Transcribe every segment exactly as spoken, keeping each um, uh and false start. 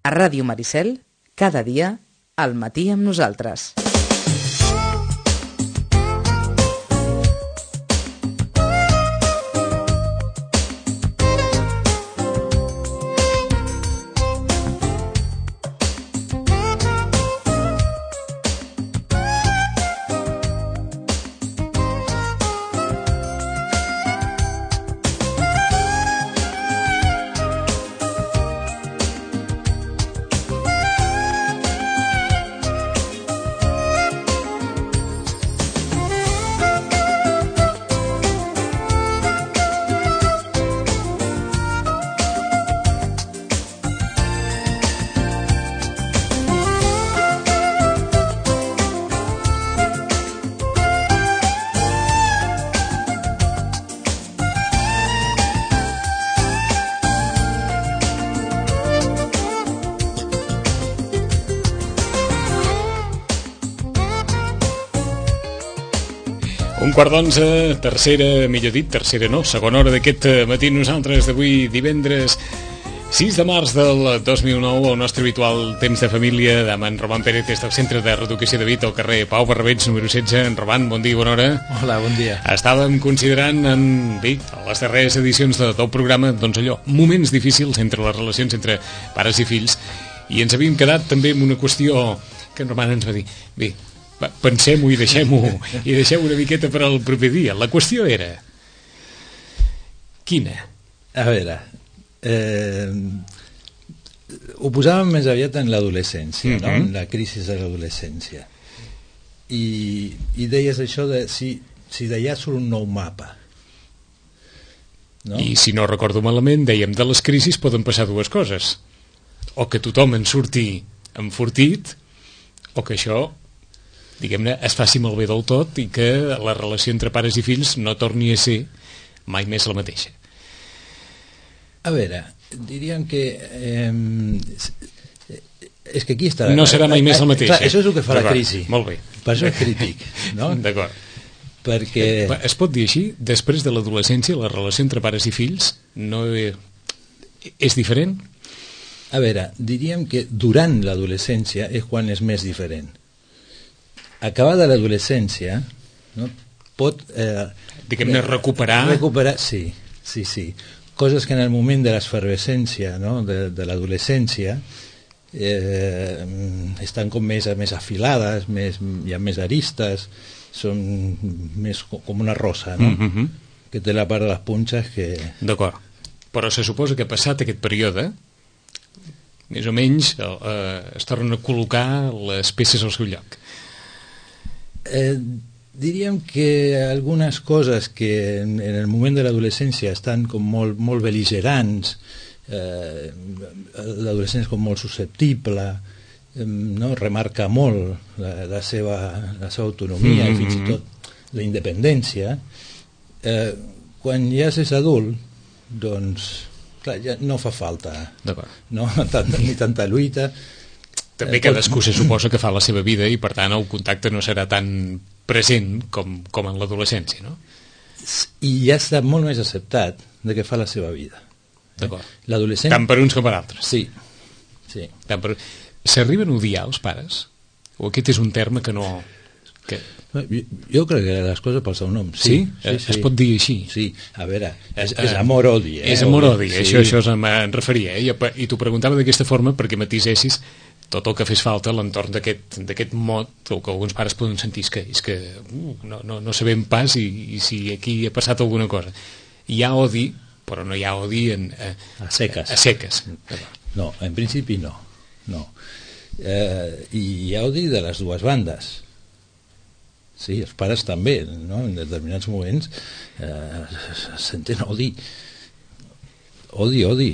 A Ràdio Maricel, cada dia, al matí amb nosaltres. Un quart d'onze, tercera, millor dit, tercera no, segona hora d'aquest matí nosaltres d'avui divendres sis de març del dos mil nou, el nostre habitual temps de família amb en Roman Pérez des del Centre de Reeducació de Vic al carrer Pau Barrabets, número setze. En Roman, bon dia i bona hora. Hola, bon dia. Estàvem considerant en Vic, a les darreres edicions de tot el programa, doncs allò, moments difícils entre les relacions entre pares i fills, i ens havíem quedat també amb una qüestió que en Roman ens va dir, bé, pensem-ho i deixem-ho i deixem una miqueta per al proper dia. La qüestió era quina? A veure, eh, ho posàvem més aviat en l'adolescència, mm-hmm. no? En la crisi de l'adolescència, i, i deies això de si, si d'allà surt un nou mapa, no? I si no recordo malament dèiem de les crisis poden passar dues coses, o que tothom en surti enfortit, o que això, diguem-ne, es faci malbé del tot i que la relació entre pares i fills no torni a ser mai més la mateixa. A veure, diríem que eh, és que aquí està... No serà mai més la mateixa. Clar, això és el que fa la crisi. Molt bé. Per això és crític, no? D'acord. Perquè... Es pot dir així, després de l'adolescència la relació entre pares i fills no és diferent? A veure, diríem que durant l'adolescència és quan és més diferent. Acabada l'adolescència, no, pot... Eh, diguem-ne, recuperar... Recuperar, sí, sí, sí. Coses que en el moment de l'esfervescència, no, de, de l'adolescència, eh, estan com més, més afilades, més, hi ha més aristes, són més com una rosa, no? Mm-hmm. Que té la part de les punxes que... D'acord. Però se suposa que passat aquest període, més o menys, eh, es tornen a col·locar les peces al seu lloc. Eh, diríem que algunes coses que en, en el moment de l'adolescència estan com molt, molt bel·ligerants, eh, l'adolescent és com molt susceptible, eh, no? Remarca molt la, la, seva, la seva autonomia, mm-hmm. i fins i tot la independència. Eh, quan ja és adult, doncs clar, ja no fa falta, no? Tant, ni tanta lluita. També cadascú se suposa que fa la seva vida i per tant el contacte no serà tan present com, com en l'adolescència, no? I ja està molt més acceptat de que fa la seva vida. D'acord. L'adolescent... Tant per uns com per altres. Sí. sí. Tant per... S'arriben a odiar els pares? O aquest és un terme que no... Que... Jo, jo crec que les coses pel seu nom. Sí? Sí? sí, sí. Es pot dir així? Sí, a veure, és, és amor-odi. Eh? És amor-odi, sí. això, això me'n referia. Eh? I t'ho preguntava d'aquesta forma perquè matisessis tot el que fes falta a l'entorn d'aquest mot, o que alguns pares poden sentir és que, és que uh, no, no, no sabem pas i, i si aquí ha passat alguna cosa. Hi ha odi, però no hi ha odi en, a, a seques. A, a seques. No, en principi no. no. Eh, I hi ha odi de les dues bandes. Sí, els pares també, no? En determinats moments eh, senten odi. Odi, odi,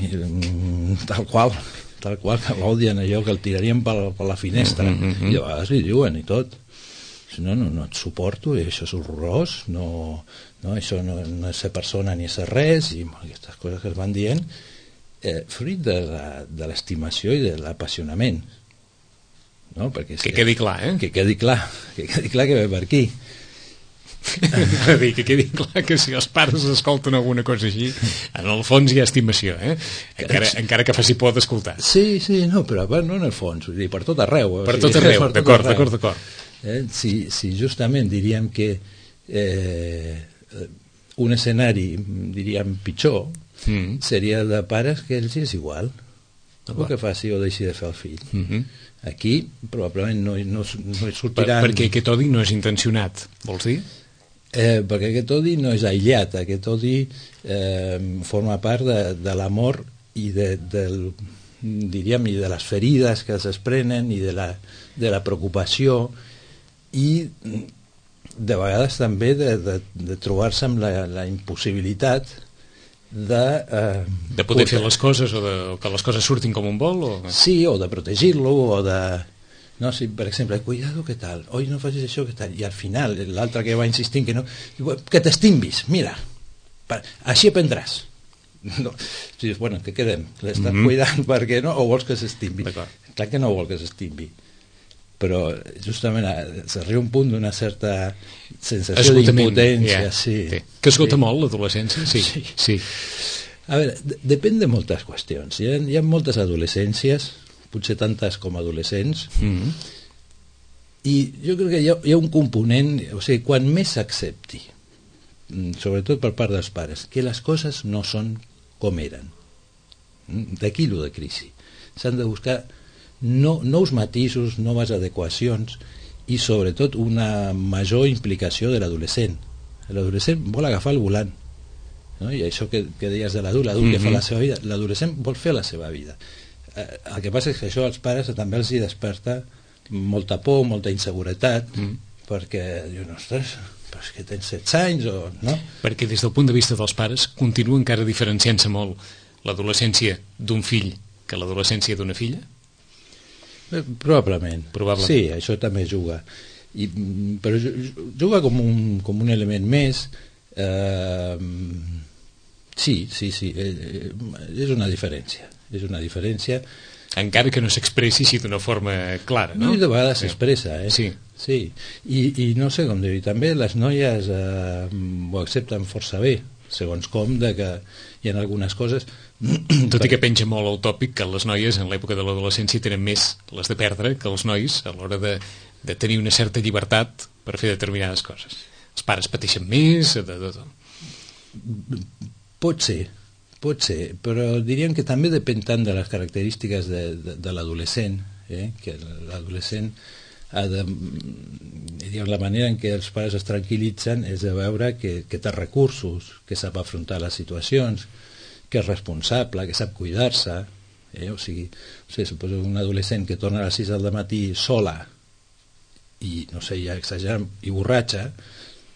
tal qual. tal qual que l'odien, allò que el tirarien per, per la finestra, mm-hmm. i a vegades li diuen i tot, si no, no, no et suporto, i això és horrorós, no, no, això no, no és ser persona ni és ser res, i aquestes coses que es van dient, eh, fruit de, la, de l'estimació i de l'apassionament, no? Perquè, que quedi clar, eh? Que quedi clar, que quedi clar que ve per aquí. a dir, que quedi clar que si els pares escolten alguna cosa així, en el fons hi ha estimació, eh? Encara, encara que faci por d'escoltar. Sí, sí, no, però no en el fons, vull dir, per tot arreu. Per tot arreu, d'acord, d'acord, d'acord. Eh? Si, si justament diríem que eh, un escenari, diríem, pitjor, mm. seria el de pares que ells és igual. El que faci o deixi de fer el fill. Mm-hmm. Aquí probablement no, no, no sortiran... Per, perquè aquest odi no és intencionat, vols dir? Eh, perquè aquest odi no és aïllat, aquest odi eh, forma part de, de l'amor i de, del, diríem, i de les ferides que es desprenen i de la, de la preocupació i de vegades també de, de, de trobar-se amb la, la impossibilitat de... Eh, de poder portar... fer les coses o, de, o que les coses surtin com un vol? O... Sí, o de protegir-lo o de... No, si, per exemple, cuidado, què tal? Oi, no facis això, què tal? I al final, l'altre que va insistint que no... Que t'estimbis, mira, per, així aprendràs. No. Si dius, bueno, que quedem? L'estàs mm-hmm. cuidant perquè no? O vols que s'estimbi? Clar que no vol que s'estimbi. Però justament s'arriba un punt d'una certa sensació d'impotència. Yeah. Sí, sí. Que esgota sí. molt l'adolescència? Sí. Sí. sí. A veure, depèn de moltes qüestions. Hi ha, hi ha moltes adolescències, potser tantes com adolescents, mm-hmm. i jo crec que hi ha, hi ha un component, o sigui, quan més s'accepti, sobretot per part dels pares, que les coses no són com eren. D'aquí lo de crisi. S'han de buscar no, nous matisos, noves adequacions i sobretot una major implicació de l'adolescent. L'adolescent vol agafar el volant, no? I això que, que deies de l'adult, l'adult mm-hmm. que fa la seva vida, l'adolescent vol fer la seva vida. Eh, el que passa és que això als pares també els hi desperta molta por, molta inseguretat, mm. perquè diuen, ostres, però és que tens setze anys o... no? Perquè des del punt de vista dels pares continua encara diferenciant-se molt l'adolescència d'un fill que l'adolescència d'una filla? Probablement. Probablement. Sí, això també juga. I, però juga com un, com un element més. Eh, sí, sí, sí. Eh, és una diferència. És una diferència. Encara que no s'expressi així d'una forma clara, no? No, i de vegades s'expressa, eh? Sí. Sí. I, I no sé com dir-ho. També les noies eh, ho accepten força bé, segons com, de que hi ha algunes coses... Tot i que penja molt el tòpic que les noies en l'època de l'adolescència tenen més les de perdre que els nois a l'hora de, de tenir una certa llibertat per fer determinades coses. Els pares pateixen més... De, de, de. Pot ser, pot ser, però diríem que també depèn tant de les característiques de, de, de l'adolescent, eh? Que l'adolescent ha de... Diguem, la manera en què els pares es tranquil·litzen és de veure que, que té recursos, que sap afrontar les situacions, que és responsable, que sap cuidar-se, eh? O sigui, o sigui, suposo un adolescent que torna a les sis del matí sola i, no sé, ja exagerant, i borratxa,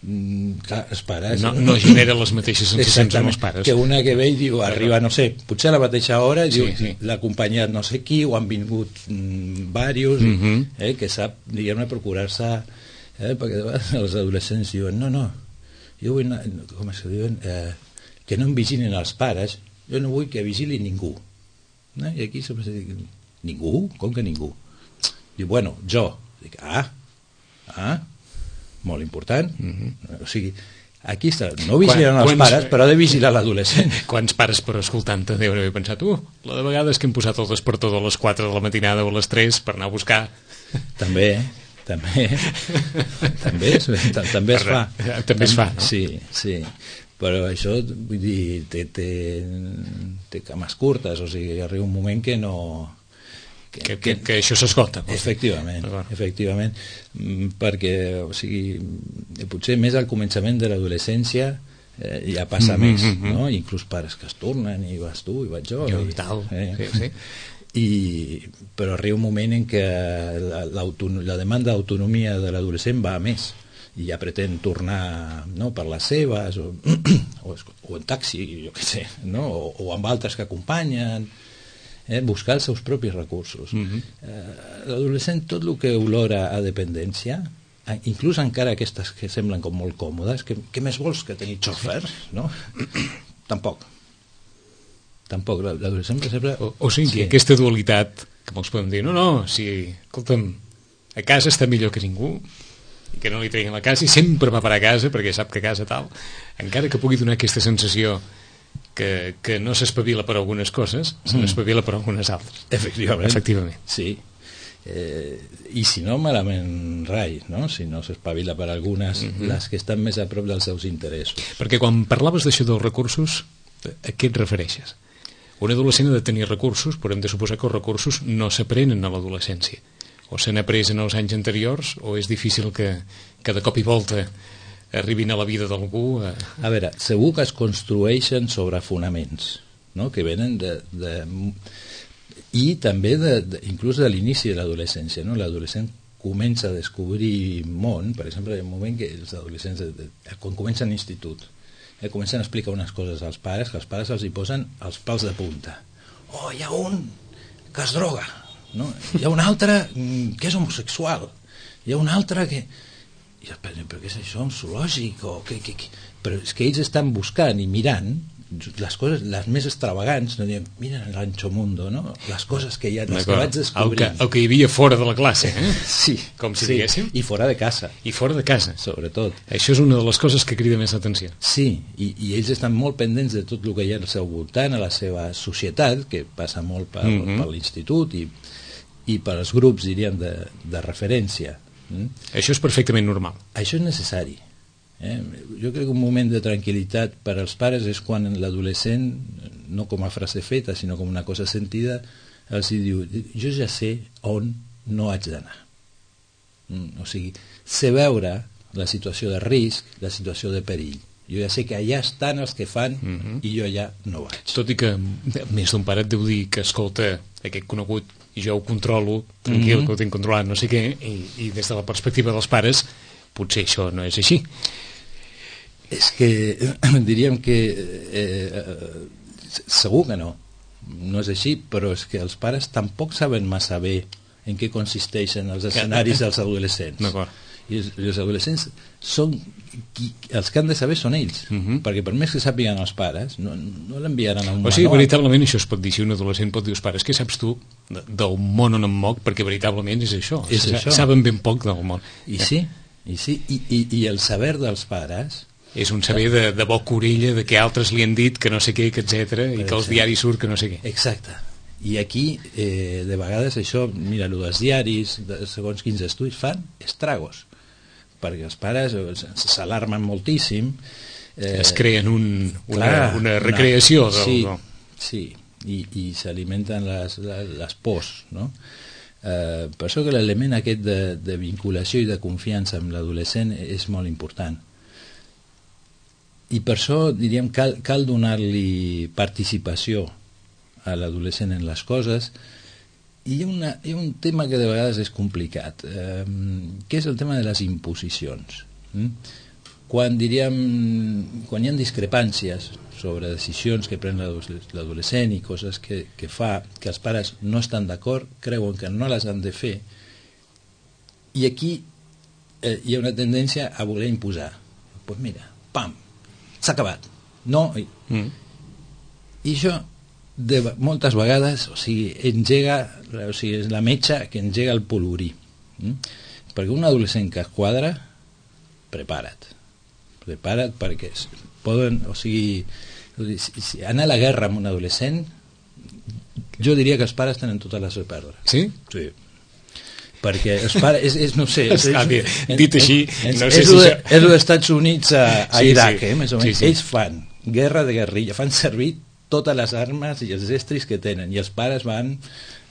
mm, clar, els pares... No, no genera les mateixes sensacions amb els pares. Que una que ve i diu, arriba, no sé, potser a la mateixa hora, i sí, diu, sí. l'ha acompanyat no sé qui, o han vingut mm, varios, mm-hmm. eh? Que sap, diguem-ne, procurar-se... Eh? Perquè de vegades els adolescents diuen, no, no, jo vull anar, com es diuen... Eh, que no em vigilin els pares, jo no vull que vigili ningú. No? I aquí sempre se diu, ningú? Com que ningú? Diu, bueno, jo. Dic, ah, ah, molt important. Mm-hmm. O sigui, aquí està, no vigilen Quan, els quants, pares, però ha de vigilar l'adolescent. Quants pares, però escoltant-te, deuen haver pensat, uh, la de vegades que hem posat el despertador a les quatre de la matinada o a les tres per anar a buscar... També, també, també, es, també es fa. També es fa, no? Sí, sí. Però això, vull dir, té, té, té cames curtes, o sigui, arriba un moment que no... Que, que, que, que això s'esgota. Efectivament, efectivament, perquè, o sigui, potser més al començament de l'adolescència eh, ja passa mm-hmm, més, mm-hmm. no? Inclús pares que es tornen, i vas tu, i vaig jo... Jo i, i tal, eh? sí, sí. I, però arriba un moment en què la, la demanda d'autonomia de l'adolescent va a més, i ja pretén tornar, no, per les seves o, o, o en taxi, jo què sé, no? o, o amb altres que acompanyen, eh? Buscar els seus propis recursos. Mm-hmm. eh, l'adolescent tot el que olora a dependència, inclús encara aquestes que semblen com molt còmodes, que, què més vols que tenir xòfers, no? Tampoc tampoc, l'adolescent per exemple... O, o sigui, sí. Aquesta dualitat que molts podem dir, no, no, si, escolta'm, a casa està millor que ningú. i que no li treguin la casa, i sempre va per a casa perquè sap que a casa tal, encara que pugui donar aquesta sensació que, que no s'espavila per algunes coses, se n'espavila per algunes altres. Efectivament. Efectivament. Sí. Eh, i si no, malament rai, no? Si no s'espavila per algunes, uh-huh. les que estan més a prop dels seus interessos. Perquè quan parlaves d'això dels recursos, a què et refereixes? Un adolescent ha de tenir recursos, però hem de suposar que els recursos no s'aprenen a l'adolescència. O s'han après en els anys anteriors, o és difícil que, que de cop i volta arribin a la vida d'algú. A... a veure, segur que es construeixen sobre fonaments, no? Que venen de... de... i també de, de, inclús de l'inici de l'adolescència, no? L'adolescent comença a descobrir món, per exemple, en un moment que els adolescents, de, de, quan comencen l'institut, eh, comencen a explicar unes coses als pares, que els pares els hi posen els pals de punta. Oh, hi ha un que es droga, no? Hi ha un altre que és homosexual, hi ha un altre que... I els pares, però què és això, un zoològic? O què, què, què? Però és que ells estan buscant i mirant les coses, les més extravagants, no diem, mira l'Ancho Mundo, no? Les coses que hi ha, les que vaig descobrint. El que, el que hi havia fora de la classe, eh? Sí. Com si sí. diguéssim. I fora de casa. I fora de casa. Sobretot. Això és una de les coses que crida més l'atenció. Sí, i, i ells estan molt pendents de tot el que hi ha al seu voltant, a la seva societat, que passa molt per, mm-hmm. per l'institut i, i per als grups, diríem, de, de referència. Mm? Això és perfectament normal. Això és necessari. Eh? Jo crec que un moment de tranquil·litat per als pares és quan l'adolescent, no com a frase feta sinó com una cosa sentida, els diu, jo ja sé on no haig d'anar. Mm, o sigui, sé veure la situació de risc, la situació de perill. Jo ja sé que allà estan els que fan mm-hmm. i jo ja no vaig. Tot i que més d'un pare et deu dir que escolta, aquest conegut i jo ho controlo, tranquil, mm-hmm. que ho tinc controlat, no sé què, i, i des de la perspectiva dels pares potser això no és així. És que diríem que eh, eh, segur que no, no és així, però és que els pares tampoc saben massa bé en què consisteixen els escenaris dels adolescents. D'acord. I els, els adolescents són qui, els que han de saber són ells, uh-huh. perquè per més que sàpiguen els pares no, no l'enviaran a un o sigui, manual. veritablement això es pot dir, si un adolescent pot dir als pares, què saps tu del món on em moc, perquè veritablement és això, és S- això. saben ben poc del món. I sí, i, sí i, i, i el saber dels pares és un saber de, de boca orella, de que altres li han dit que no sé què, que etcètera, i que als diaris surt que no sé què. Exacte. I aquí, eh, de vegades això, mira, el dels diaris, de segons quins estudis fan estragos, perquè els pares s'alarmen moltíssim. Eh, es creen un, una, clar, una recreació. Una, del, sí, del... sí, i, i s'alimenten les, les, les pors, no? Eh, per això que l'element aquest de, de vinculació i de confiança amb l'adolescent és molt important. I per això, diríem, cal, cal donar-li participació a l'adolescent en les coses. I hi ha, una, hi ha un tema que de vegades és complicat, eh, que és el tema de les imposicions. Mm? Quan, diríem, quan hi ha discrepàncies sobre decisions que pren l'adolescent i coses que, que fa, que els pares no estan d'acord, creuen que no les han de fer, i aquí eh, hi ha una tendència a voler imposar. Doncs pues mira, pam, s'ha acabat. No, i, mm. i això de, moltes vegades, o sigui, engega, o sigui, és la metxa que engega el polvorí. Mm? Perquè un adolescent que es quadra, prepara't. Prepara't perquè poden, o sigui, si, si anar a la guerra amb un adolescent, jo diria que els pares tenen totes les de perdre. Sí? Sí. Perquè els pares, és, és, no sé... És, Està bé, dit així, és, no sé és, si... És, és els Estats Units a, a sí, Iraq, sí. eh, més o menys. Sí, sí. Ells fan guerra de guerrilla, fan servir totes les armes i els estris que tenen, i els pares van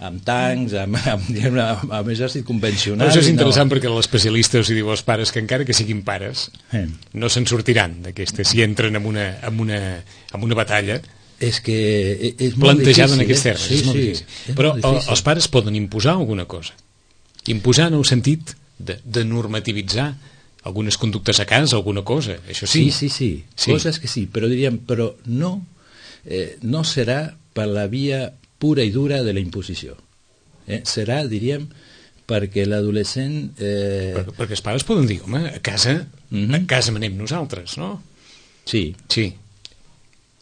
amb tancs, amb, amb, amb, amb exèrcit convencional. Però això és interessant no. perquè l'especialista els diu als pares que encara que siguin pares eh. no se'n sortiran d'aquesta, si entren en una, en una, en una batalla és que és molt plantejada en difícil, aquests eh? termes. Sí, és molt sí, difícil. és Però molt difícil. Els pares poden imposar alguna cosa. Imposar en el sentit de, de normativitzar algunes conductes a casa, alguna cosa, això sí. Sí, sí, sí, sí. Coses que sí, però diríem, però no, eh, no serà per la via pura i dura de la imposició. Eh? Serà, diríem, perquè l'adolescent... Eh... Per, perquè els pares poden dir, home, a casa, mm-hmm. a casa manem nosaltres, no? Sí. Sí.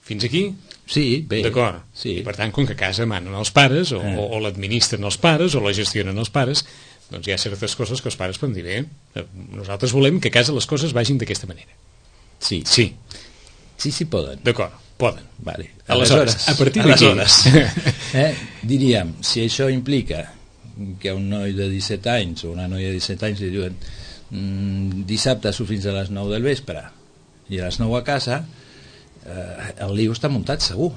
Fins aquí? Sí, bé. D'acord. Sí. I per tant, com que a casa manen els pares, o, eh. o, o l'administren els pares, o la gestionen els pares, doncs hi ha certes coses que els pares poden dir, bé, nosaltres volem que a casa les coses vagin d'aquesta manera. Sí. Sí. Sí, sí poden. D'acord, poden. Vale. Aleshores, aleshores, a partir d'aquí... eh, diríem, si això implica que a un noi de disset anys o una noia de disset anys li diuen mmm, dissabte surt fins a les nou del vespre i a les nou a casa, eh, el lío està muntat segur,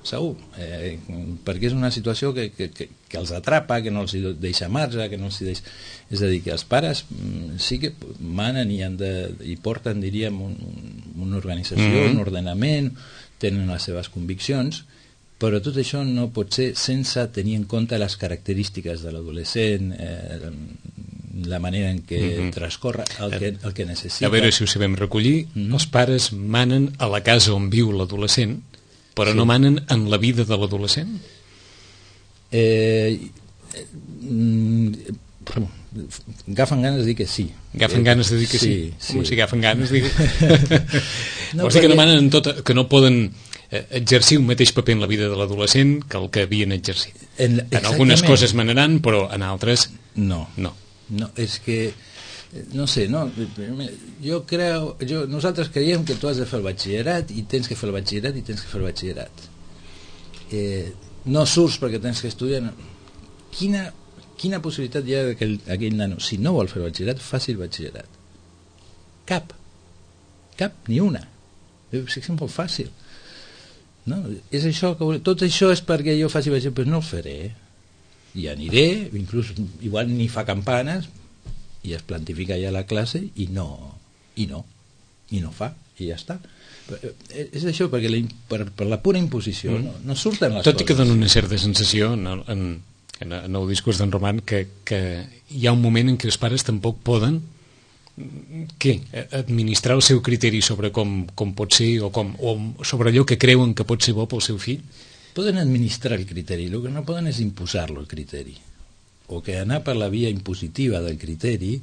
segur, eh, perquè és una situació que, que, que, que els atrapa, que no els deixa marge, que no els deixa... És a dir, que els pares mm, sí que manen i, han de, i porten, diríem, un, una organització, mm-hmm. un ordenament, tenen les seves conviccions, però tot això no pot ser sense tenir en compte les característiques de l'adolescent, eh, la manera en què mm-hmm. transcorre, el que, el que necessita. A veure si ho sabem recollir, mm-hmm. els pares manen a la casa on viu l'adolescent, però sí. no manen en la vida de l'adolescent? Eh, eh, mm, agafen ganes de dir que sí. Agafen ganes de dir que sí? Sí, sí. Com si agafen ganes de dir... no, Vols dir que no manen en tot, que no poden exercir un mateix paper en la vida de l'adolescent que el que havien exercit. En, en algunes coses manaran, però en altres... No. No. No, és que... No sé, no, jo creu, jo, nosaltres creiem que tu has de fer el batxillerat i tens que fer el batxillerat i tens que fer el batxillerat. Eh, no surts perquè tens que estudiar. No. Quina, quina possibilitat hi ha que aquell, aquell nano, si no vol fer el batxillerat, faci el batxillerat? Cap. Cap, ni una. És que és molt fàcil. No? És això que, tot això és perquè jo faci batxillerat, però no el faré. I aniré, inclús igual ni fa campanes, i es plantifica ja la classe i no, i no, i no fa, i ja està. És això, perquè la, per, per la pura imposició mm. no, no surten les Tot coses. Tot i que dona una certa sensació en, en, en, en el discurs d'en Roman que, que hi ha un moment en què els pares tampoc poden què? Administrar el seu criteri sobre com, com pot ser o, com, o sobre allò que creuen que pot ser bo pel seu fill? Poden administrar el criteri, el que no poden és imposar-lo el criteri, o que anar per la via impositiva del criteri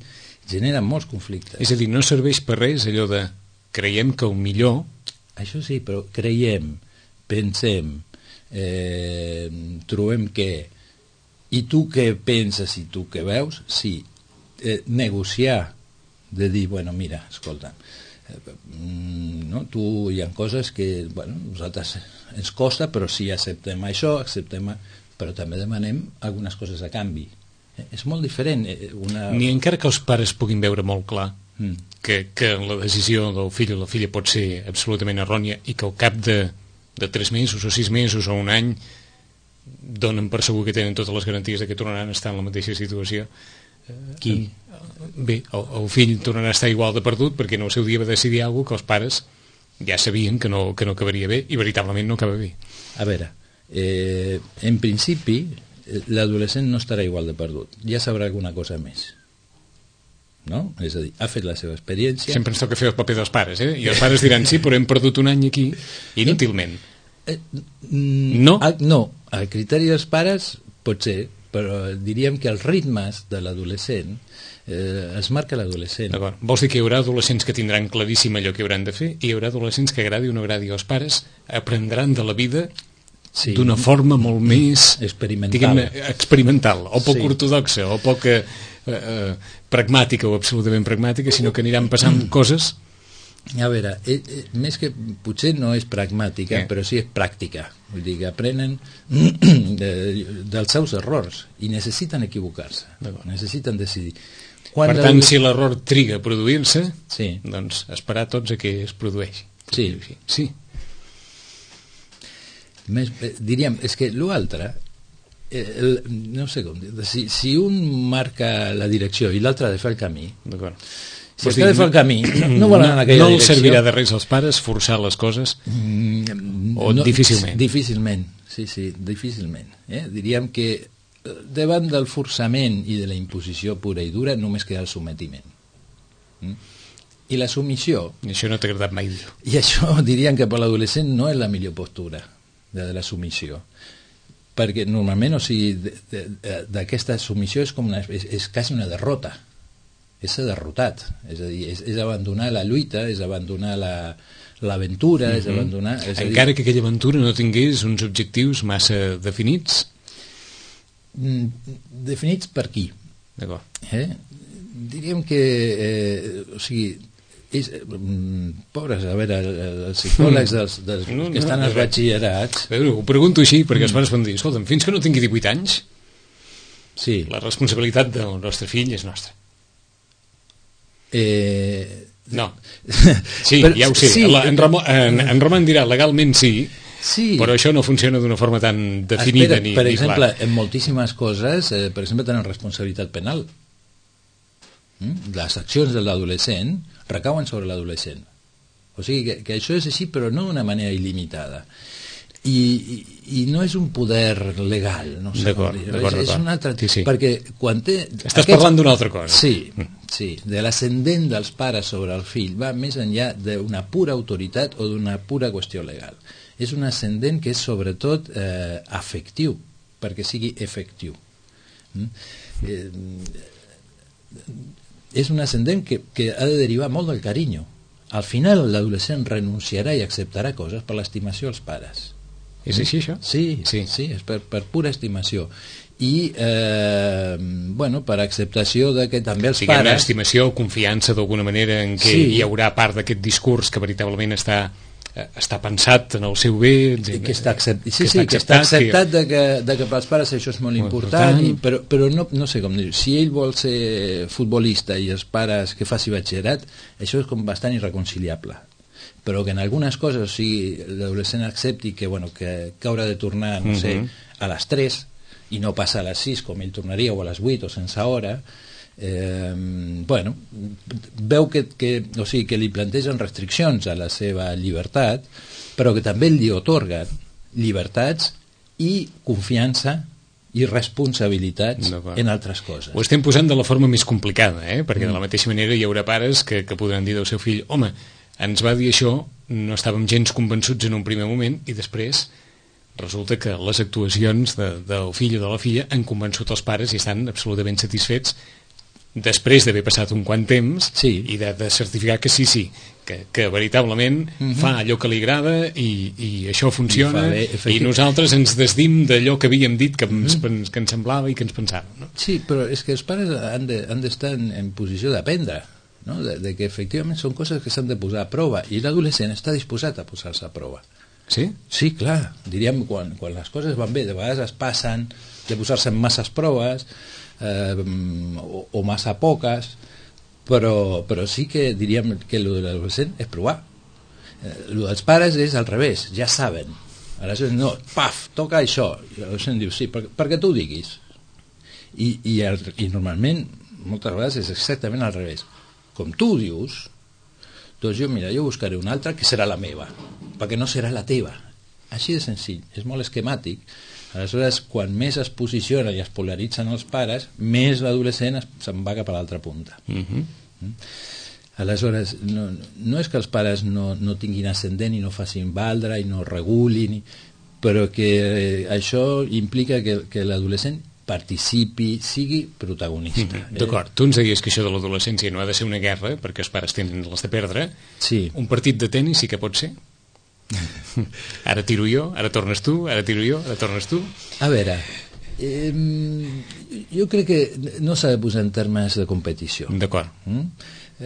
genera molts conflictes. És a dir, no serveix per res allò de creiem que el millor... Això sí, però creiem, pensem, eh, trobem que... I tu què penses i tu què veus? Sí, eh, negociar, de dir, bueno, mira, escolta, eh, no, tu hi ha coses que, bueno, nosaltres ens costa, però sí acceptem això, acceptem... però també demanem algunes coses a canvi. Eh, és molt diferent. Eh, una... Ni encara que els pares puguin veure molt clar mm. que, que la decisió del fill o la filla pot ser absolutament errònia i que al cap de, de tres mesos o sis mesos o un any donen per segur que tenen totes les garanties de que tornaran a estar en la mateixa situació. Qui? Bé, el, el fill tornarà a estar igual de perdut perquè en el seu dia va decidir alguna cosa que els pares ja sabien que no, que no acabaria bé i veritablement no acaba bé. A veure, Eh, en principi l'adolescent no estarà igual de perdut, ja sabrà alguna cosa més, no? És a dir, ha fet la seva experiència. Sempre ens toca fer el paper dels pares, eh? I els pares diran, sí, però hem perdut un any aquí inútilment. eh, no? El, no, el criteri dels pares pot ser, però diríem que els ritmes de l'adolescent eh, els marca l'adolescent. Vols dir que hi haurà adolescents que tindran claríssim allò que hauran de fer i hi haurà adolescents que agradi o no agradi, els pares aprendran de la vida sí. d'una forma molt més experimental, experimental o poc sí. ortodoxa o poc eh, eh, pragmàtica o absolutament pragmàtica, sinó que aniran passant mm. coses. A veure, eh, eh, més que potser no és pragmàtica, eh. però sí és pràctica. Vull dir que aprenen de, dels seus errors i necessiten equivocar-se, necessiten decidir. Quan per tant, el... si l'error triga a produir-se, sí. doncs esperar tots a que es produeixi. Sí. Sí. Més, eh, diríem, és que l'altre eh, no sé com dir, si, si un marca la direcció i l'altre ha de fer el camí, si es ha de fer el camí no, no vol anar en aquella no direcció, no servirà de res als pares forçar les coses mm, o no, difícilment difícilment, sí, sí, difícilment eh? Diríem que davant del forçament i de la imposició pura i dura només queda el sometiment mm? i la submissió i això no t'ha agradat mai dir. I això diríem que per l'adolescent no és la millor postura de la submissió, perquè normalment, o sigui, d'aquesta submissió és com una, és, és quasi una derrota, és ser derrotat, és a dir, és, és abandonar la lluita, és abandonar la, l'aventura, mm-hmm. és abandonar... És encara dir... que aquella aventura no tingués uns objectius massa definits? Definits per qui? D'acord. Eh? Diríem que, eh, o sigui, és, mm, pobres, a veure, els psicòlegs dels, dels no, que estan no, als batxillerats... Veure, ho pregunto així, perquè els pares poden dir, escolta'm, fins que no tingui divuit anys, sí. la responsabilitat del nostre fill és nostra. Eh... No. Sí, però, ja ho sé. Sí, la, en, Ramon, en, en Roman dirà legalment sí, sí, però això no funciona d'una forma tan definida. Espera, ni, per ni exemple, clar. En moltíssimes coses, eh, per exemple, tenen responsabilitat penal. Mm? Les accions de l'adolescent recauen sobre l'adolescent. O sigui que, que això és així, però no d'una manera il·limitada. I, i, i no és un poder legal, no sé com dir. És, és un altre... Sí, sí. Perquè quan té... Estàs aquests... parlant d'una altra cosa. Sí, sí, de l'ascendent dels pares sobre el fill va més enllà d'una pura autoritat o d'una pura qüestió legal. És un ascendent que és sobretot eh, afectiu, perquè sigui efectiu. Mm? Eh, és un ascendent que, que ha de derivar molt del carinyo. Al final l'adolescent renunciarà i acceptarà coses per l'estimació als pares. És així, això? Sí, sí, sí, és per, per pura estimació. I, eh, bueno, per acceptació de que també els Diguem, pares... estimació o confiança d'alguna manera en què sí. hi haurà part d'aquest discurs que veritablement està, eh, està pensat en el seu bé... I que està acceptat, sí, que sí, que està acceptat de que, de que pels pares això és molt, molt important, important. I, però, però no, no sé com dir, si ell vol ser futbolista i els pares que faci batxillerat, això és com bastant irreconciliable. Però que en algunes coses, o sigui, l'adolescent accepti que, bueno, que, que haurà de tornar, no sé, uh-huh. a les tres i no passa a les sis com ell tornaria, o a les vuit o sense hora, eh, bueno, veu que, que, o sigui, que li plantegen restriccions a la seva llibertat, però que també li otorguen llibertats i confiança i responsabilitats en altres coses. Ho estem posant de la forma més complicada, eh? Perquè mm. de la mateixa manera hi haurà pares que, que podran dir del seu fill, home, ens va dir això, no estàvem gens convençuts en un primer moment i després resulta que les actuacions de, del fill o de la filla han convençut els pares i estan absolutament satisfets després d'haver passat un quant temps sí. i de, de certificar que sí, sí, que, que veritablement mm-hmm. fa allò que li agrada i, i això funciona i, bé, i nosaltres ens desdim d'allò que havíem dit que, mm-hmm. ens, que ens semblava i que ens pensava. No? Sí, però és que els pares han d'estar de, en, en posició d'aprendre. No? De, de que efectivament són coses que s'han de posar a prova i l'adolescent està disposat a posar-se a prova. Sí? Sí, clar. Diríem, quan, quan les coses van bé, de vegades es passen de posar-se en masses proves eh, o, o massa poques, però, però sí que diríem que el de l'adolescent és provar. Eh, el dels pares és al revés, ja saben. Aleshores, no, paf, toca això. I l'adolescent diu, sí, per, perquè tu ho diguis. I, i, el, I normalment, moltes vegades, és exactament al revés. Com tu dius, doncs jo, mira, jo buscaré una altra que serà la meva, perquè no serà la teva. Així de senzill, és molt esquemàtic. Aleshores, quan més es posiciona i es polaritzen els pares, més l'adolescent se'n va cap a l'altra punta. Uh-huh. Aleshores, no, no és que els pares no, no tinguin ascendent i no facin valdre i no regulin, però que eh, això implica que, que l'adolescent participi, sigui protagonista. Mm-hmm. D'acord, tu ens deies que això de l'adolescència no ha de ser una guerra, perquè els pares tenen les de perdre. Sí. Un partit de tenis sí que pot ser? Ara tiro jo, ara tornes tu, ara tiro jo, ara tornes tu. A veure, eh, jo crec que no s'ha de posar en termes de competició. D'acord. Mm?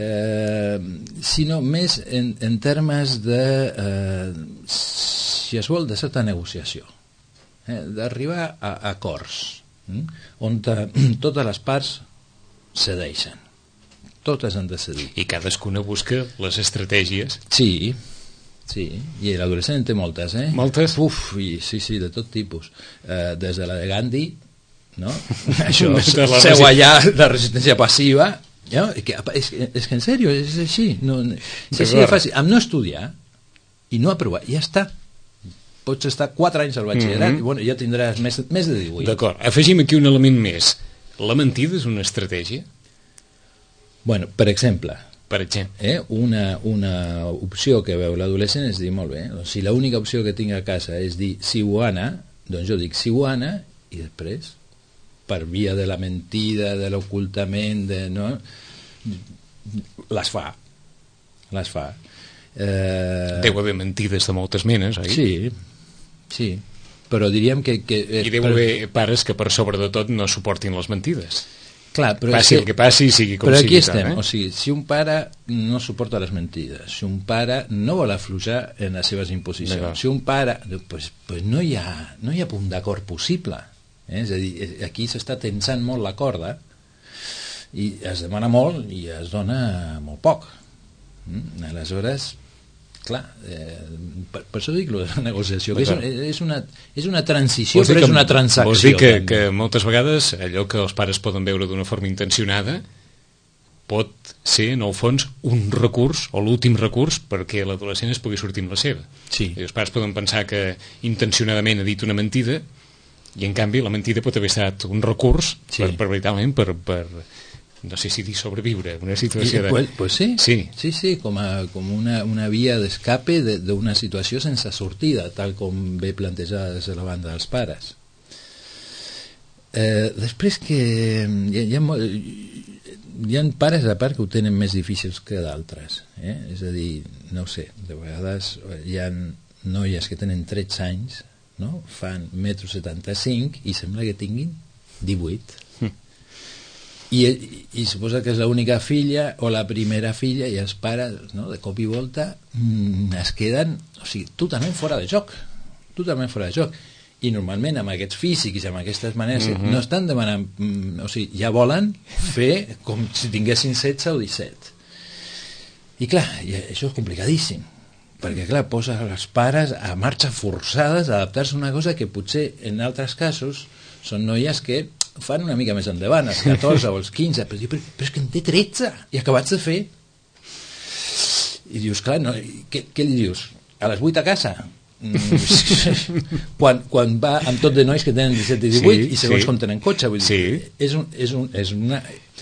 Eh, sinó més en, en termes de, eh, si es vol, de certa negociació. Eh, d'arribar a, a acords. On ta, totes les parts cedeixen, totes han de cedir i cadascuna busca les estratègies. Sí, sí, i l'adolescent té moltes, eh? Moltes? Uf, i, sí, sí, de tot tipus, eh, des de la de Gandhi, no? Això, seu allà, la resistència passiva, no? que, és, és que en sèrio és així, no, és així de fàcil, amb no estudiar i no aprovar, ja està. Pots estar quatre anys al batxillerat mm-hmm. i bueno, ja tindràs més, més de divuit. D'acord, afegim aquí un element més. La mentida és una estratègia? Bueno, per exemple, per exemple. Eh, una, una opció que veu l'adolescent és dir, molt bé, doncs, si l'única opció que tinc a casa és dir Siuana, doncs jo dic Siuana i després, per via de la mentida, de l'ocultament, de, no, les fa. Les fa. Eh... Deu haver mentides de moltes menes, oi? Sí, sí, però diríem que... que I deu haver pares que per sobre de tot no suportin les mentides. Clar, però passi que, el que passi, sigui com però sigui. Però aquí estem, tant, eh? o sigui, si un pare no suporta les mentides, si un pare no vol afluixar en les seves imposicions, si un pare... Pues, pues no, hi ha, no hi ha punt d'acord possible. Eh? És a dir, aquí s'està tensant molt la corda i es demana molt i es dona molt poc. Mm? Aleshores, clar, eh, per, per això dic la negociació, que és, és, una, és una transició, però és una transacció. Vols dir que, que moltes vegades allò que els pares poden veure d'una forma intencionada pot ser, en el fons, un recurs, o l'últim recurs, perquè l'adolescent es pugui sortir amb la seva. Sí. I els pares poden pensar que intencionadament ha dit una mentida, i en canvi la mentida pot haver estat un recurs, sí. per, per, veritablement, per... per no sé si dir sobreviure, una situació de... Pues, pues sí, sí, sí, sí com, a, com una, una via d'escape d'una situació sense sortida, tal com ve plantejada des de la banda dels pares. Eh, després que hi ha, hi, ha, hi ha pares a part que ho tenen més difícils que d'altres, eh? És a dir, no ho sé, de vegades hi ha noies que tenen tretze anys, no? Fan metro setanta-cinc i sembla que tinguin divuit. I, i suposa que és l'única filla o la primera filla i els pares, no, de cop i volta mmm, es queden, o sigui, totalment fora de joc, totalment fora de joc, i normalment amb aquests físics i amb aquestes maneres mm-hmm. no estan demanant, mm, o sigui, ja volen fer com si tinguessin setze o disset, i clar, i això és complicadíssim, perquè clar, posa els pares a marxa forçades a adaptar-se a una cosa que potser en altres casos són noies que fan una mica més endavant, als catorze o als quinze, però, però, però és que en té tretze i acabats de fer. I dius, clar, no, què, què li dius? A les vuit a casa? quan, quan va amb tot de nois que tenen disset i divuit, sí, i segons sí. com tenen cotxe, vull dir, sí. és, un, és, un, és una...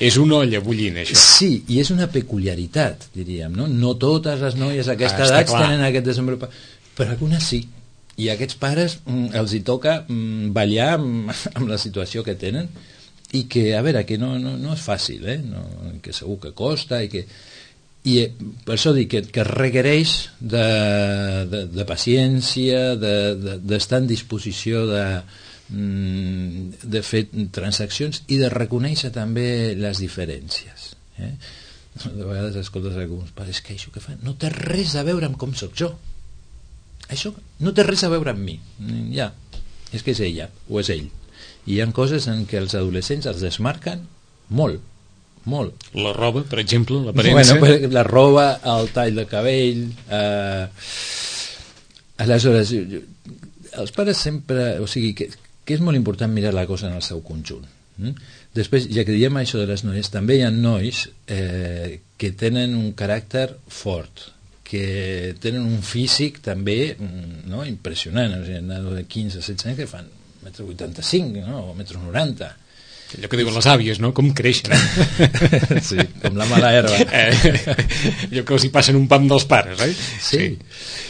És una olla bullint, això. Sí, i és una peculiaritat, diríem, no? No totes les noies a aquesta ah, edat tenen aquest desenvolupament, però algunes sí. I a aquests pares mm, els hi toca mm, ballar amb, amb la situació que tenen i que, a veure, que no, no, no és fàcil, eh? No, que segur que costa i que... I eh, per això dic que, que requereix de, de, de paciència, d'estar de, de, en disposició de, mm, de fer transaccions i de reconèixer també les diferències. Eh? De vegades escoltes alguns pares que això que fan no té res a veure amb com sóc jo. Això no té res a veure amb mi, ja, és que és ella o és ell, i hi ha coses en què els adolescents els desmarquen molt, molt. La roba, per exemple, l'aparença. Bueno, la roba, el tall de cabell, eh... aleshores els pares sempre, o sigui que, que és molt important mirar la cosa en el seu conjunt. Mm? Després, ja que diem això de les noies, també hi ha nois eh, que tenen un caràcter fort, que tenen un físic també, no, impressionant, o sigui, de quinze a setze anys que fan un metro vuitanta-cinc, no, o un metro noranta. Allò que diuen les àvies, no? Com creixen. Sí, com la mala herba. Eh, allò que els hi passen un pam dels pares, eh? Sí. Sí.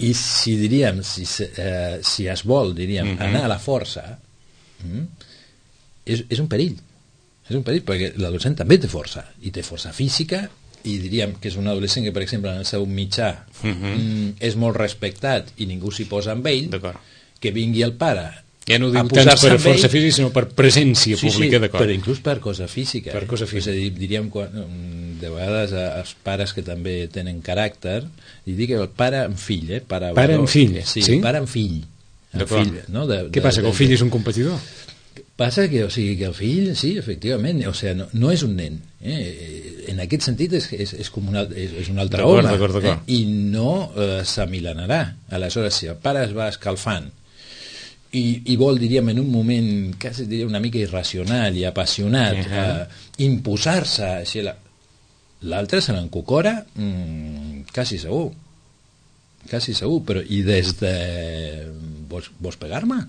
I si diríem, si, eh, si es vol, diríem, uh-huh. anar a la força, mm, és, és un perill. És un perill, perquè l'adolescent també té força, i té força física, i diríem que és un adolescent que, per exemple, en el seu mitjà uh-huh. mm, és molt respectat i ningú s'hi posa amb ell, que vingui el pare ja no ho dic tant per força física sinó per presència sí, pública, sí, d'acord, però inclús per cosa física, per cosa física. És a dir, diríem quan, de vegades els pares que també tenen caràcter, i dic el pare amb fill, eh? pare, pare amb fill, sí, sí? Pare amb fill, amb fill no? de, què de, passa, que el fill de, és un competidor? Passa que, o sigui, que el fill, sí, efectivament, o sigui, no, no és un nen, eh? En aquest sentit és, és, és, com una, és, és un altre home, eh? I no eh, s'amilanarà. Aleshores, si el pare es va escalfant i, i vol, diríem, en un moment quasi diria una mica irracional i apassionat, uh-huh. eh, imposar-se, així, l'altre se l'encucora mm, quasi segur, quasi segur, però i des de... Vols, vols pegar-me?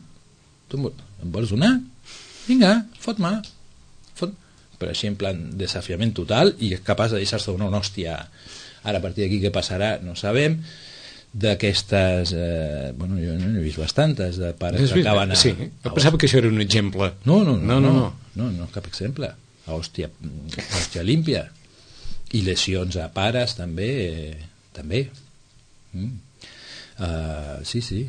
Tu em vols donar? Vinga, fot-me, fot... però així en plan desafiament total, i és capaç de deixar-se donar una hòstia. Ara a partir d'aquí què passarà no sabem. D'aquestes eh, bueno, jo no he vist bastantes de pares que acaben a... Sí, jo pensava que això era un exemple. No, no, no, no, no, no, no cap exemple. A hòstia, hòstia límpia. I lesions a pares també, eh, també. Mm. Uh, sí, sí.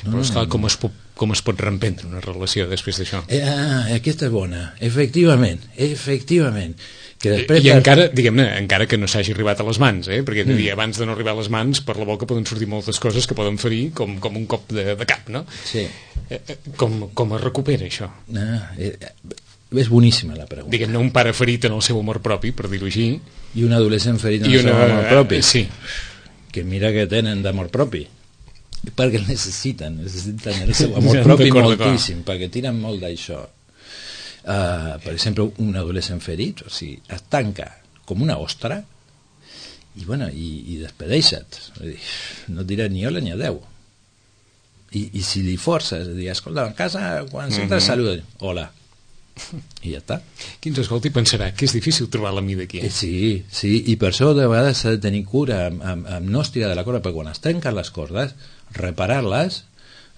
No, però esclar, no, no. com es pot com es pot reemprendre una relació després d'això? Eh, ah, aquesta és bona, efectivament, efectivament. Que després I per... encara, diguem-ne, encara que no s'hagi arribat a les mans, eh? perquè mm. dir, abans de no arribar a les mans, per la boca poden sortir moltes coses que poden ferir com, com un cop de, de cap, no? Sí. Eh, com, com es recupera això? Ah, eh, és boníssima la pregunta. Diguem-ne, un pare ferit en el seu amor propi, per dir-ho així. I un adolescent ferit en I el una... seu amor propi. Eh, sí. Que mira que tenen d'amor propi. Perquè el necessiten, necessiten el seu amor propi moltíssim, perquè tiren molt d'això. Uh, per exemple, un adolescent ferit, o sigui, es tanca com una ostra i, bueno, i, i despedeixa't. No et dirà ni hola ni adeu. I, i si li forces, dir, escolta, a casa, quan s'entra, mm-hmm. saluda, hola. I ja està. Qui ens escolti pensarà que és difícil trobar la mida aquí. Eh, sí, sí, i per això de vegades s'ha de tenir cura amb, amb, amb no estirar de la corda, perquè quan es trenquen les cordes, reparar-les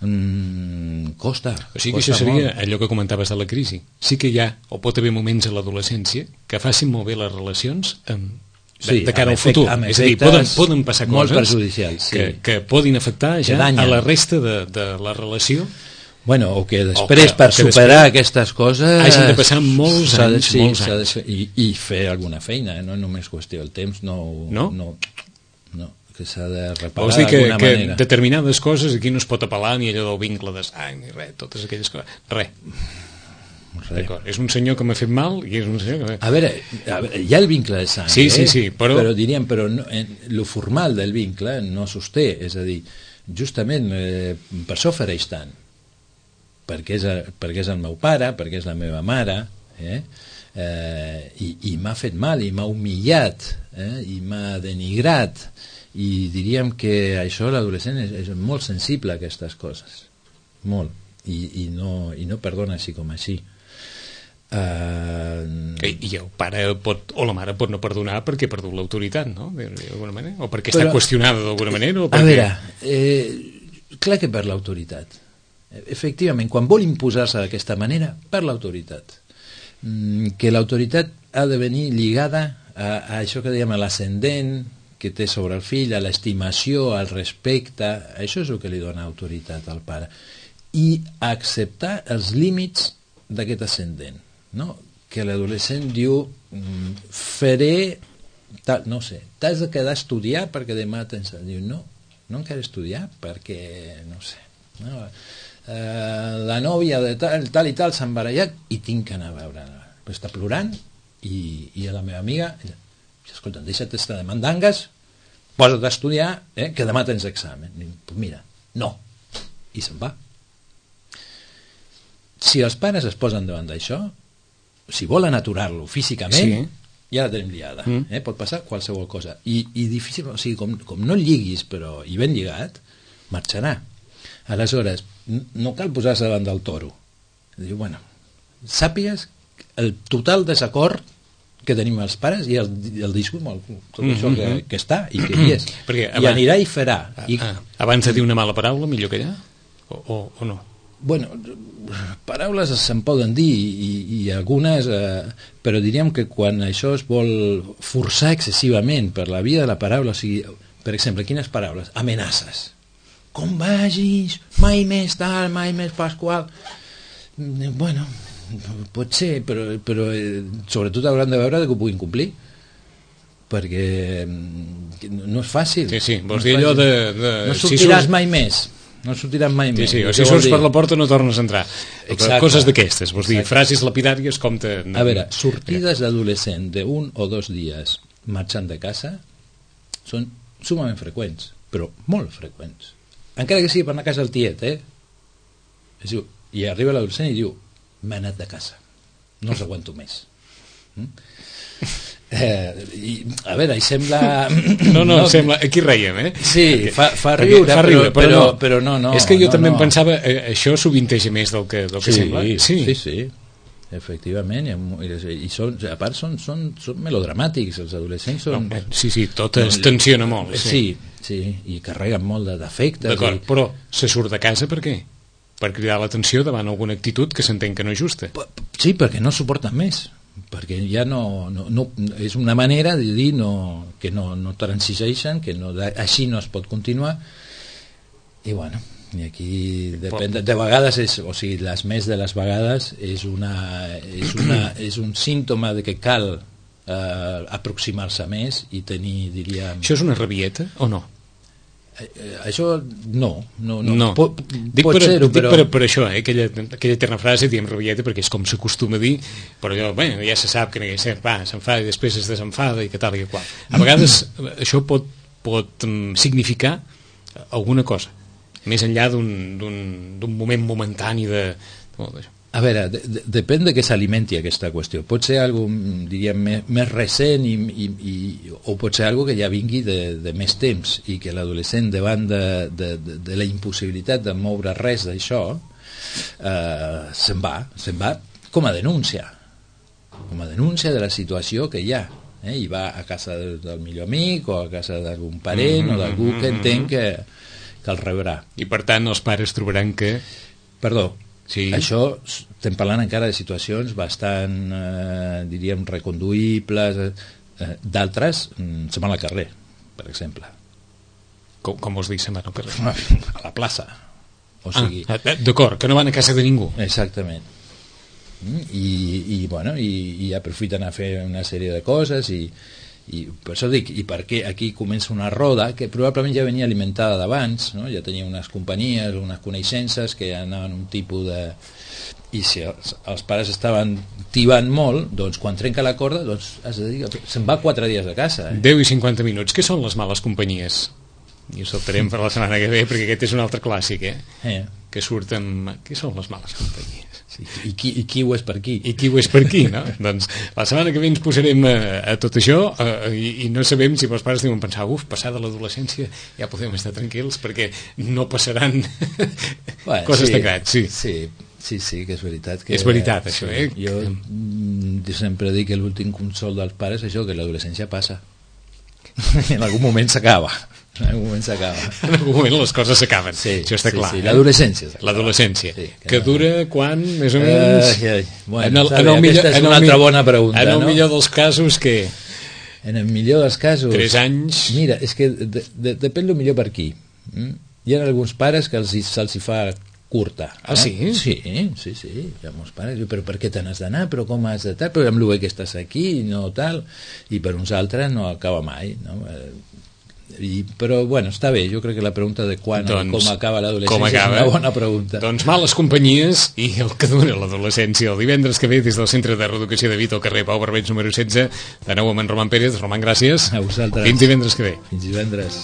mm, costa. O sigui que costa això seria molt. allò que comentaves de la crisi. Sí que hi ha, o pot haver moments a l'adolescència que facin molt bé les relacions amb, de, sí, de cara al efect, futur. És a dir, poden, poden passar molt coses perjudicials, sí. que, que poden afectar ja a la resta de, de la relació. Bueno, o que després, o que, per o que superar després aquestes coses... hagin de passar molts anys, de, sí, molts anys. De, i, I fer alguna feina, no només qüestió del temps, no... No? No, no que s'ha de reparar Vols dir que, que manera. determinades coses aquí no es pot apel·lar ni allò del vincle de sang ni res, totes aquelles coses, res. D'acord, és un senyor que m'ha fet mal i és un senyor que... A veure, a veure, hi ha el vincle de sang, sí, eh? sí, sí, però... però diríem, però no, en, lo formal del vincle no sosté, és a dir, justament eh, per això ofereix tant, perquè és, perquè és el meu pare, perquè és la meva mare, eh? Eh, i, i m'ha fet mal, i m'ha humillat, eh? I m'ha denigrat, i diríem que això l'adolescent és, és molt sensible a aquestes coses, molt, i, i, no, i no perdona així com així. Uh... I, i el pare pot, o la mare pot no perdonar perquè ha perdut l'autoritat, no? D'alguna manera, o perquè però, està qüestionada d'alguna manera, o perquè... A veure, eh, clar que per l'autoritat, efectivament, quan vol imposar-se d'aquesta manera, per l'autoritat, mm, que l'autoritat ha de venir lligada a, a això que dèiem, a l'ascendent que té sobre el fill, a l'estimació, al respecte, això és el que li dona autoritat al pare, i acceptar els límits d'aquest ascendent, no? Que l'adolescent diu faré tal, no sé, t'has de quedar a estudiar perquè demà tens... Diu, no, no em quero estudiar perquè, no sé, no? Eh, la nòvia de tal, tal i tal s'ha embarallat i tinc que anar a veure-la, però està plorant i, i a la meva amiga, escolta, deixa't estar de mandangues, posa't a estudiar, eh, que demà tens examen. I, pues mira, no, i se'n va. Si els pares es posen davant d'això, si volen aturar-lo físicament, sí. Ja la tenim liada, mm. eh? Pot passar qualsevol cosa, i, i difícil, o sigui, com, com no el lliguis, però i ben lligat, marxarà. Aleshores, no cal posar-se davant del toro. Diu, bueno, sàpigues el total desacord que tenim els pares i el, el discurs, tot mm-hmm. això que, que està i que hi és. Perquè, i abans, anirà i farà. I... Ah, abans de dir una mala paraula, millor que allà? O, o, o no? Bueno, paraules se'n poden dir i, i algunes, eh, però diríem que quan això es vol forçar excessivament per la via de la paraula, o sigui, per exemple, quines paraules? Amenaces. Com vagis, mai més tal, mai més Pasqual. Bueno, pot ser, però, però eh, sobretot hauran de veure que ho puguin complir, perquè no és fàcil. Sí, sí, vols no dir allò de, de... No sortiràs si mai més. No sortiràs mai sí, més. Sí, o si surts per la porta no tornes a entrar. Exacte. Coses d'aquestes, vols dir, frases lapidàries com te... A veure, sortides d'adolescent d'un o dos dies marxant de casa són sumament freqüents, però molt freqüents. Encara que sigui per anar a casa del tiet, eh? I arriba l'adolescent i diu, m'he anat de casa, no els aguanto més. Mm? Eh, i, a veure, hi sembla... No, no, no sembla... Aquí reiem, eh? Sí, fa, fa riure, fa riure però, però, no. però no, no. És que jo no, també no. em pensava, eh, això sovinteja més del que, del que sí, sembla. Sí, sí, sí, efectivament, i, i són, a part són, són, són melodramàtics, els adolescents són... No, sí, sí, tot es tensiona molt. Sí, sí, sí, i carreguen molt d'efectes. D'acord, i... però se surt de casa per què? Per cridar l'atenció davant alguna actitud que s'entén que no és justa. Sí, perquè no suporten més, perquè ja no, no, no és una manera de dir no, que no, no transigeixen, que no, així no es pot continuar, i bueno, i aquí depèn, de, de vegades és, o sigui, les més de les vegades és una és, una, és un símptoma de que cal eh, aproximar-se més i tenir, diríem... Això és una rabieta o no? Eh, això no, no, no. no. Pot, dic pot per, ser-ho, dic però... per, per això, eh? aquella, aquella terna frase diem rabieta perquè és com s'acostuma a dir, però allò, bueno, ja se sap que no hi ha va, s'enfada i després es desenfada i que tal i que qual. A vegades això pot, pot um, significar alguna cosa més enllà d'un moment momentani de... de a veure, de, de, depèn de què s'alimenti aquesta qüestió. Pot ser algo, diríem, més, més recent i, i, i, o pot ser algo que ja vingui de, de més temps i que l'adolescent davant de, de, de, de la impossibilitat de moure res d'això eh, se'n va, se'n va com a denúncia com a denúncia de la situació que hi ha, eh? I va a casa del, del millor amic o a casa d'algun parent mm -hmm, o d'algú que entén que que el rebrà. I per tant els pares trobaran que... Perdó, sí. Això estem parlant encara de situacions bastant, eh, diríem, reconduïbles, eh, d'altres mm, se'n van al carrer, per exemple. Com, com vols dir se'n van al carrer? A la plaça. O sigui... Ah, d'acord, que no van a casa de ningú. Exactament. I, i, bueno, i, i aprofiten a fer una sèrie de coses i i per això dic, i perquè aquí comença una roda que probablement ja venia alimentada d'abans, no? Ja tenia unes companyies, unes coneixences que anaven un tipus de... i si els, els pares estaven tibant molt, doncs quan trenca la corda doncs has de dir, se'n va quatre dies a casa, eh? deu i cinquanta minuts. Què són les males companyies? I ho saltarem per la setmana que ve perquè aquest és un altre clàssic, eh? eh. Que surt amb... Què són les males companyies? Sí, i, qui, I qui ho és per aquí? I qui ho és per aquí, no? Doncs la setmana que ve ens posarem a, a tot això a, i, i no sabem si els pares deuen pensar uf, passada l'adolescència ja podem estar tranquils perquè no passaran bueno, coses sí, tan grans. Sí. Sí, sí, sí, que és veritat. Que, és veritat, això, sí, eh? Jo mm, sempre dic que l'últim consol dels pares és això, que l'adolescència passa. En algun moment s'acaba. En algun moment s'acaba. En algun moment les coses s'acaben. Sí, això està sí, clar. Sí, eh? L'adolescència. L'adolescència. Sí, que, que no... dura quan, més o menys? Uh, bueno, en el, sabe, en el millor, aquesta és en una el, altra bona pregunta. En el no? millor dels casos, què? En el millor dels casos... Tres anys... Mira, és que de, de, depèn del millor per qui. Mm? Hi ha alguns pares que se'ls hi fa curta. Ah, eh? sí? Sí, sí, sí. Hi ha molts pares. Però per què te n'has d'anar? Però com has de tal? Però amb el bé que estàs aquí, no tal. I per uns altres no acaba mai, no? I, però bueno, està bé, jo crec que la pregunta de quan doncs, o com acaba l'adolescència és una bona pregunta. Doncs males companyies i el que dura l'adolescència. El divendres que ve des del Centre de Reeducació de Vita al carrer Pau Barbeig número setze, de nou amb en Roman Pérez. Roman, gràcies. A vosaltres. Fins divendres que ve. Fins divendres.